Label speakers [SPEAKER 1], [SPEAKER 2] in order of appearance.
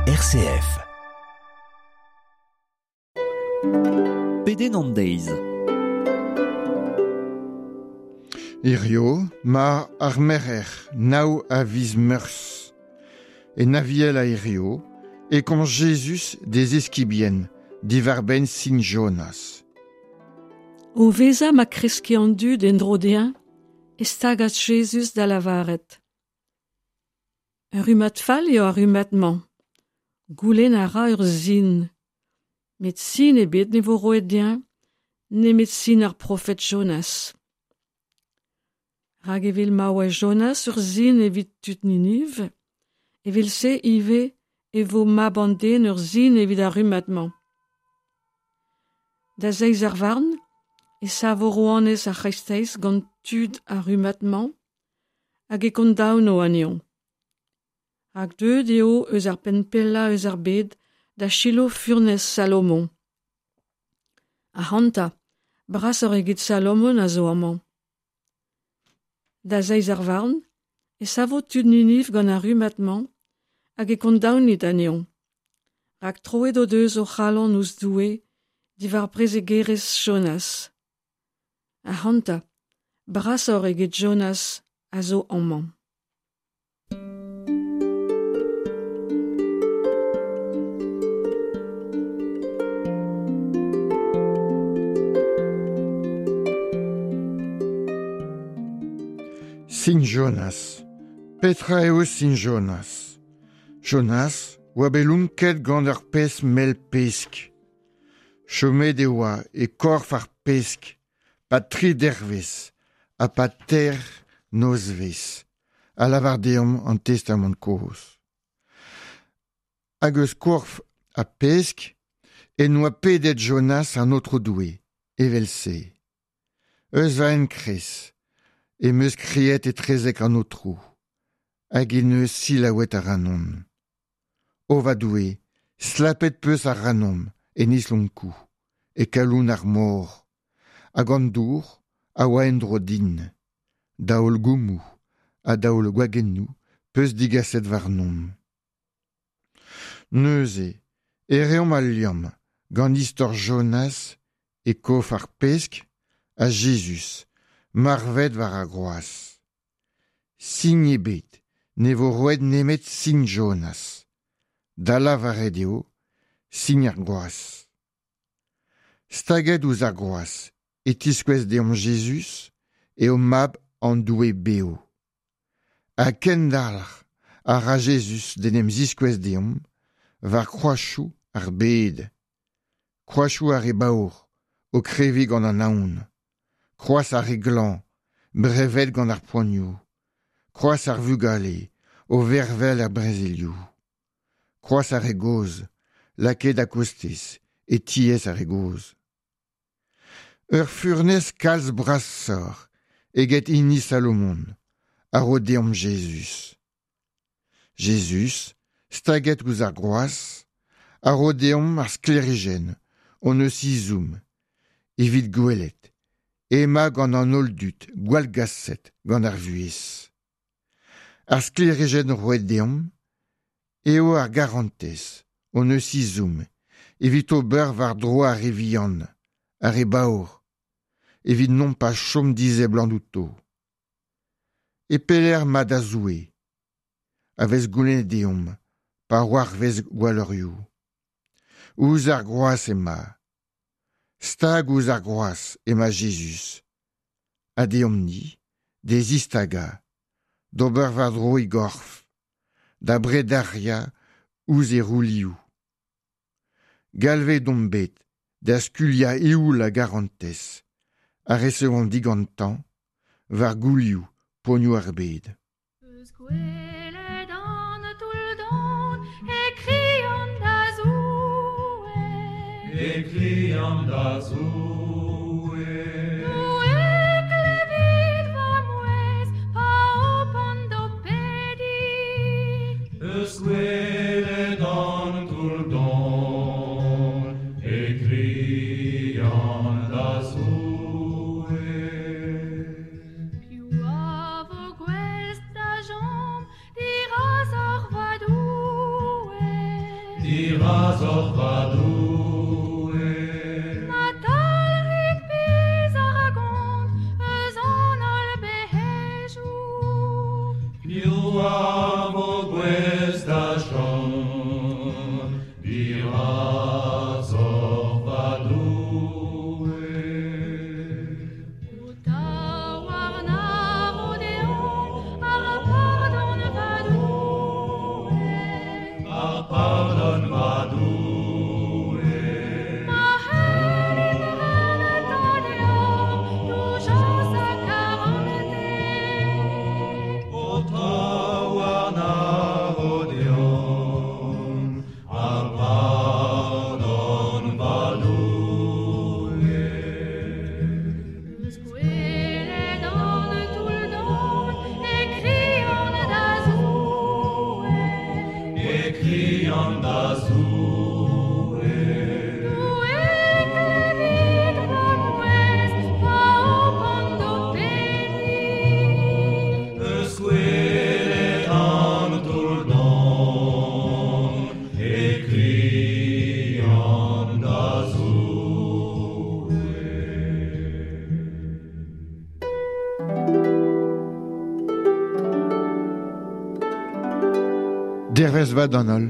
[SPEAKER 1] RCF. Pedenn an deiz.
[SPEAKER 2] Hirio, ma ar merc'her, nav a viz Meurzh. En Aviel a hirio, e komz Jezuz d'e zeskibien diwar-benn sin Jonas.
[SPEAKER 3] O vezañ ma kreske an dud en-dro dezhañ e stagas Jezuz da lavaret. Ur rummad fall eo ar rummad-mañ. Goulenn a ra ur sin. Met sin ebet ne vo roet dezhañ, nemet sin ar profed Jonas. Rak evel ma oa Jonas ur sin evit tud Niniv, evel-se ivez e vo mab an den ur sin evit ar rummad-mañ. Da zeiz ar varn e savo rouanez ar c'hreisteiz gant tud ar rummad-mañ hag e kondaono anezho. Rak deuet eo eus ar penn pellañ eus ar bed da selaou furnez Salomon. Ac'hanta, brasoc'h eget Salomon a zo amañ. Da zeiz ar varn e savo tud Niniv gant ar rummad-mañ hag e kondaonit anezho. Rak troet o deus o c'halon ouzh Doue diwar prezegerezh Jonas. Ac'hanta, brasoc'h eget Jonas a zo amañ.
[SPEAKER 2] Sin Jonas. Petra eo sin Jonas? Jonas oa bet lonket gant ur pezh mell pesk. Chomet e oa e korf ar pesk, pa tri dervezh ha pa teir nozvezh, a lavar deomp an Testamant kozh. Hag eus korf ar pesk en doa pedet Jonas an Aotrou Doue, evel-se. Eus va enkrez em eus kriet etrezek an Aotrou, hag en deus selaouet ac'hanon. O va Doue, slapet 'peus ac'hanomp en islonkoù, e kalon ar mor, hag an dour a oa en-dro din. Daol goummoù ha daol gwagennoù 'peus digaset warnomp. Neuze e reomp al liamm gant istor Jonas e kof ar pesk ha Jezuz marvet war ar groaz. Sin ebet ne vo roet nemet sin Jonas, da lavaret eo sin ar groaz. Staget ouzh ar groaz e tiskouez deomp Jezuz eo mab an Doue bev. Ha kendalc'h a ra Jezuz d'en em ziskouez deomp war kroazioù ar bed, kroazioù ar re baour o kreviñ gant an aon, kroaz ar re glañv brevet gant ar poanioù, kroaz ar vugale o vervel er brezelioù, kroaz ar re gozh lakaet a-kostez e tiez ar re gozh. Ur furnez kalz brasoc'h eget hini Salomon a ro deomp Jezuz. Jezuz, staget ouzh ar groaz, a ro deomp ar sklêrijenn hon eus ezhomm evit gwelet emañ gant an holl dud gwallgaset gant ar vuhez. Ar sklêrijenn roet deomp eo ar garantez hon eus ezhomm evit ober war-dro ar re vihan, ar re baour, evit nompas chom diseblant outo. E pelec'h emañ da Zoue a vez goulennet deomp pa c'hoarvez gwalleurioù. Ouzh ar groaz emañ. Stag ouzh ar groaz emañ Jezuz. Ha deomp-ni d'e zistagañ, d'ober war-dro e gorf, da brederiañ ouzh e roulioù. Galvet omp bet da skuilhañ eoul a garantez a resevomp digantañ war goulioù poanioù ar bed.
[SPEAKER 4] Eus gwelet an toull-don e krian da Zoue.
[SPEAKER 5] E krian da Zoue.
[SPEAKER 4] Doue, klevit va mouezh pa hopan d'ho pediñ.
[SPEAKER 5] Eus gwelet an toull-don e krian da Zoue.
[SPEAKER 4] Piv a vo gouest da chom dirazoc'h va Doue?
[SPEAKER 5] Dirazoc'h va Doue.
[SPEAKER 4] Ma talc'hit pezh a ra gont eus an holl bec'hejoù.
[SPEAKER 5] Piv a vo gouest da chom dirazoc'h va Doue?
[SPEAKER 4] Ho taouarn a ro deomp ar pardon va Doue.
[SPEAKER 5] Ar pardon va Doue.
[SPEAKER 4] Ma c'hellimp rentañ deoc'h doujañs ha karantez.
[SPEAKER 5] Ho taouarn a ro deomp ar pardon va Doue.
[SPEAKER 4] Eus goueled an toull-don e krian da Zoue.
[SPEAKER 5] E krian da Zoue.
[SPEAKER 4] Doue, klevit va mouezh pa hopan d'ho pediñ.
[SPEAKER 5] Eus goueled an toull-don e krian da Zoue.
[SPEAKER 2] Dervez vat d'an holl.